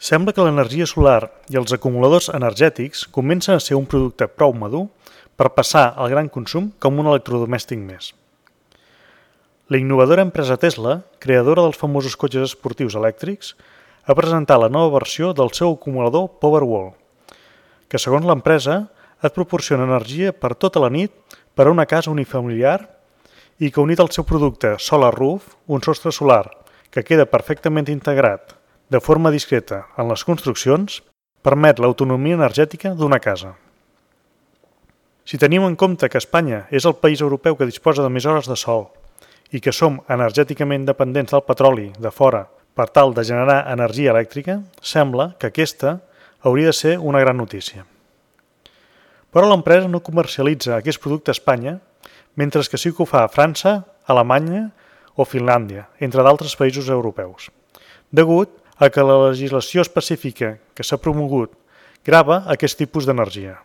Sembla que l'energia solar i els acumuladors energètics comencen a ser un producte prou madur per passar al gran consum com un electrodomèstic més. La innovadora empresa Tesla, creadora dels famosos cotxes esportius elèctrics, ha presentat la nova versió del seu acumulador Powerwall, que segons l'empresa et proporciona energia per tota la nit per a una casa unifamiliar i que unit al seu producte Solar Roof, un sostre solar que queda perfectament integrat de forma discreta en les construccions, permet l'autonomia energètica d'una casa. Si tenim en compte que Espanya és el país europeu que disposa de més hores de sol i que som energèticament dependents del petroli de fora per tal de generar energia elèctrica, sembla que aquesta hauria de ser una gran notícia. Però l'empresa no comercialitza aquest producte a Espanya, mentre que sí que ho fa a França, Alemanya o Finlàndia, entre d'altres països europeus, degut a que la legislació específica que s'ha promogut grava aquest tipus d'energia.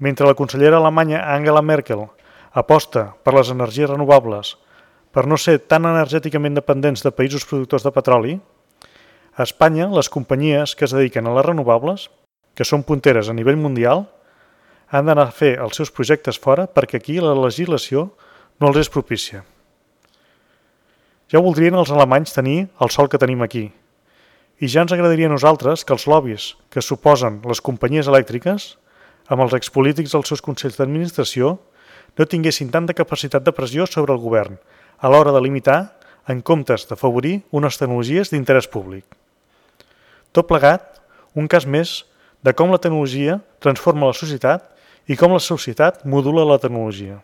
Mentre la consellera alemanya Angela Merkel aposta per les energies renovables per no ser tan energèticament dependents de països productors de petroli, a Espanya les companyies que es dediquen a les renovables, que són punteres a nivell mundial, han d'anar a fer els seus projectes fora perquè aquí la legislació no els és propícia. Ja voldrien els alemanys tenir el sol que tenim aquí. I ja ens agradaria a nosaltres que els lobbies que suposen les companyies elèctriques, amb els expolítics dels seus consells d'administració, no tinguessin tanta capacitat de pressió sobre el govern a l'hora de limitar en comptes d'afavorir unes tecnologies d'interès públic. Tot plegat, un cas més de com la tecnologia transforma la societat i com la societat modula la tecnologia.